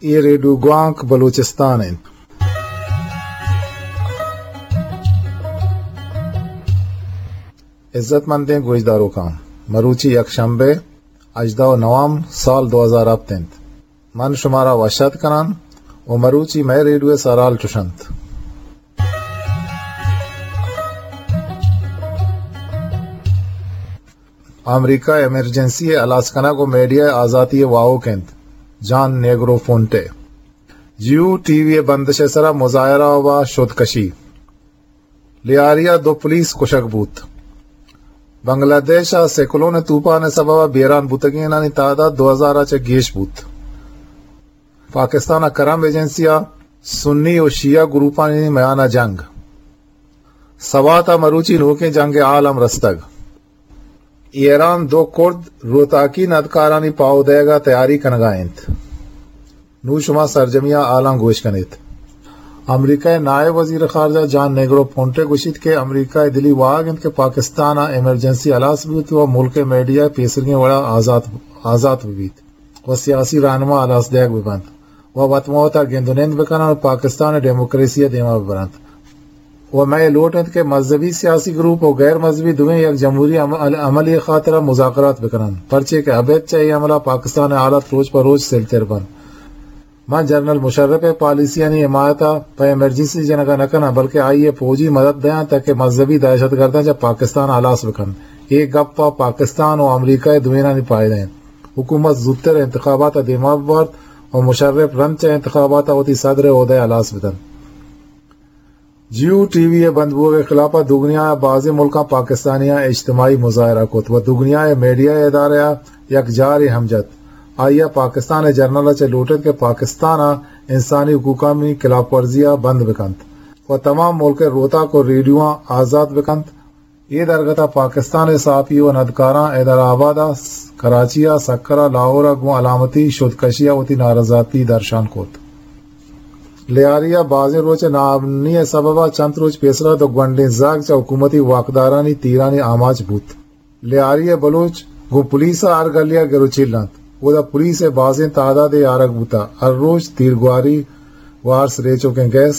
اے ریڈیو گوانک بلوچستان انت۔ عزت مندیں گوشداروکاں، مروچی یک شمبے، ہژدہ نوامبر سال دو ہزار ہپت انت۔ من شمارا وش آتک کنان و مروچی مئے ریڈیو سرحال چش انت۔ امریکہ ایمرجنسی ء ہلاس کنگ و میڈیا ء آزاتی ء واہوک انت، جان نیگرو پونٹے۔ جیو ٹی وی ء بندش ء سرا مظاہرہ و شدکشی۔ لیاری ء دو پولیس کشگ بوت۔ بنگلہ دیش ء سیکلون ء طوفان ء سبب ء بیران بوتگینانی تعداد دو ہزار ء چہ گیش بوت۔ پاکستان ء کرم ایجنسی ء سنی و شیعہ گروپانی میان ء جنگ۔ سوات ء مروچی نوکیں جنگ ء حال ہم رستگ۔ ایران دو کرد روتاکی ندکارانی پاہو دئیگ ء تیاری کنگ ء انت۔ نوں شما سرجمی ء حالاں گوش کن ات۔ امریکہ ء نائب وزیر خارجہ جان نیگرو پونٹے گوشیت کہ امریکہ ء دلی واہگ انت کہ پاکستان ء ایمرجنسی ہلاس بوت و ملک ء میڈیا پیسرگیں وڑا آزات، آزات بہ بیت و سیاسی رہنما ہلاس دئیگ بہ بنت و وت مہ وتا گند و نند بہ کننت و پاکستان ء ڈیموکریسی ء دیما بہ برنت۔ و مئے لوٹ انت کہ مذہبی سیاسی گروپ و غیر مذہبی دوئیں یک جمہوری عمل-، عملی خاطرا مذاکرات بکننت، پرچے کہ ابید چہ اے عملا پاکستان ء حالت روچ پہ روچ سلتر بنت۔ من جنرل مشرف ء پالیسیانی حمایت ء پہ ایمرجنسی جنگ ء نہ کناں، بلکہ آئی ء فوجی مدد دیاں تاکہ مذہبی دہشت گرداں چہ پاکستان ء ہلاس بکنت۔ اے گپ ء پاکستان و امریکہ ء دوئینانی فائدہ انت۔ حکومت زوتر انتخابات ء دیما ببارت و مشرف رند چہ انتخابات ء وتی صدر ء عہدہ ء ہلاس بدنت۔ جیو ٹی وی ء بند بوگ ء خلاف ء دگنیا ء بازیں ملکاں پاکستانیاں اجتماعی مظاہرہ کت و دگنیا ء میڈیا ء ادارہ ء یک جارے ہم جت۔ آئی ء پاکستان ء جنرل ء چہ لوٹت کہ پاکستان ء انسانی حقوقانی خلاف ورزی ء بند بکنت و تمام ملک ء روتاک و ریڈیواں آزات بکنت۔ اے درگت ء پاکستان ء صحافی و ندکاراں حیدرآباد ء کراچی ء سکر ء لاہور ء گوں علامتی شدکشی ء وتی نارضاتی درشان کت۔ لیاری ء بازیں روچ ء ناامنی ء سبب ء چنت روچ پیسرا دو گونڈیں زاگ چہ حکومتی واکدارانی تیرانی آماچ بوت۔ لیاری ء بلوچ گوں پولیس ء ہر گلی ء گروچیل انت۔ اودا پولیس ء بازیں تعدادے آرگ بوتہ۔ ہر روچ تیرگواری و ارس ریچوکیں گیس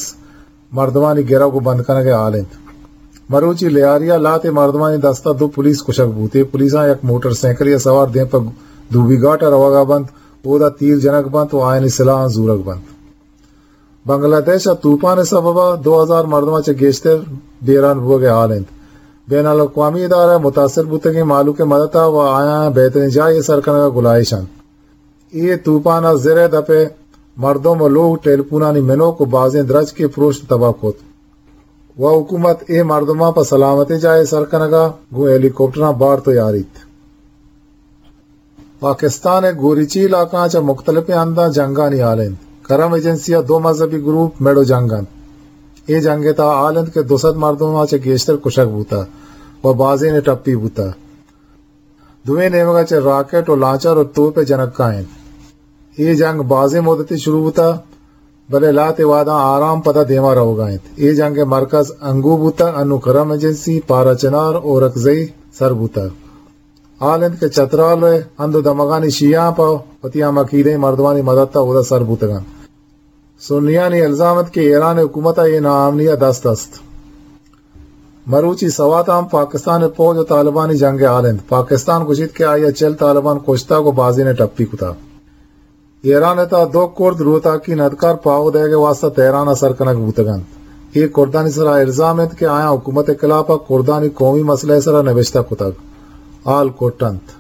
مردمانی گرگ و بند کنگ ء حال انت۔ مروچی لیاری ء لہتے مردمانی دست ء دو پولیس کشگ بوت۔ اے پولیساں یک موٹر سائیکلے ء سوار دیم پہ دوبی گھاٹ ء روگ ء بنت، اودا تیر جنگ بنت و آیانی سلاہاں زورگ بنت۔ بنگلہ دیش ء توپان ء سبب ء دو ہزار مردماں چہ گیشتر بیران بوگ ء حال انت۔ بین الاقوامی ادارہ متاثر بوتگیں مہلوک ء مدت ء و آیاں بہتریں جاہے سر کنگ ء گلائیش انت۔ اے توپان ء زر ء دپ ء مردم و لوگ، ٹیلیپونانی منوک و بازیں درچکے پروشت تباہ کت و حکومت اے مردماں پہ سلامتیں جاہے سر کنگ ء گوں ہیلی کاپٹراں بارت و یاریت۔ پاکستان ء گوریچی علاقہاں چہ مختلفیں ہنداں جنگانی حال انت۔ کرم ایجنسی ء دو مذہبی گروپ مڑ و جنگ انت۔ اے جنگ ء تہا حال انت کہ دو سد مردماں چہ گیشتر کشگ بوتہ و بازینے ٹپی بوتہ۔ دوئیں نیمگا چہ راکٹ و لانچر و توپ ء جنگ کاینت۔ اے جنگ بازیں مدتے شروع بوتہ، بلے لہتے وہداں آرام پدا دیما روگا انت۔ اے جنگ ء مرکز انگو بوتہ، انوں کرم ایجنسی، پارا چنار، اورکزئی سر بوتہ۔ حال انت کہ چترال ء ہند و دمگانی شیعاں پہ وتی ہم عقیدیں مردمانی مدت ء اودا سر بوتگ انت۔ سنیانی الزام انت کہ ایران حکومت ء اے ناامنی ء دست است۔ مروچی سوات ء ہم پاکستان ء پوج و طالبانی جنگ ء حال انت۔ پاکستان گوشیت کہ آئی ء چل طالبان کشتگ و بازینے ٹپی کتگ۔ ایران ء تہا دو کرد روتاکی ندکار پاہو دئیگ ء واستہ تہران ء سر کنگ بوتگ انت۔ اے کردانی سرا الزام انت کہ آیاں حکومت ء خلاف ء کردانی قومی مسئلہ ء سرا نبشتہ کتگ، ہال کٹ انت۔